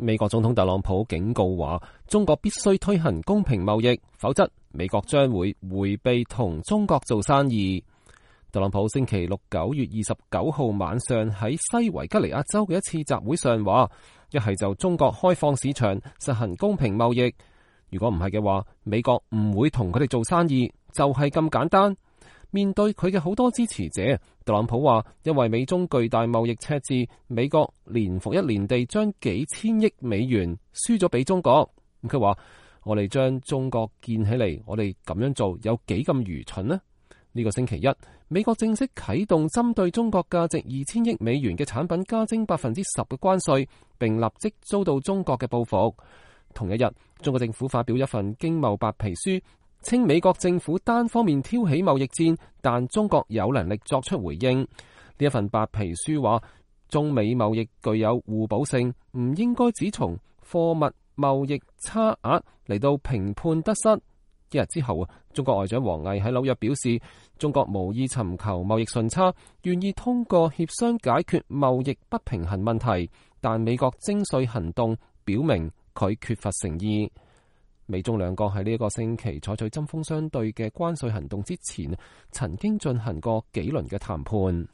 美國總統特朗普警告話，中國必須推行公平貿易，否則美國將會迴避同中國做生意。特朗普星期六9月29號晚上喺西維吉尼亞州嘅一次集會上話，一係就中國開放市場，實行公平貿易，如果唔係嘅話，美國唔會同佢哋做生意，就係咁簡單。面對佢嘅好多支持者，特朗普話，因為美中巨大貿易赤字，美國年復一年地將幾千億美元輸咗俾中國。佢話，我哋將中國建起嚟，我哋咁樣做有幾咁愚蠢呢？呢個星期一，美國正式啟動針對中國價值2000億美元嘅產品加徵10%嘅關稅，並立即遭到中國嘅報復。同一日，中國政府發表一份經貿白皮書，稱美國政府單方面挑起貿易戰，但中國有能力作出回應。呢一份白皮書話，中美貿易具有互補性，唔應該只從貨物貿易差額嚟到評判得失。一日之後，中國外長王毅喺紐約表示，中國無意尋求貿易順差，願意通過協商解決貿易不平衡問題，但美國徵稅行動表明佢缺乏誠意。美中兩國喺呢一個星期採取針鋒相對嘅關稅行動之前，曾經進行過幾輪嘅談判。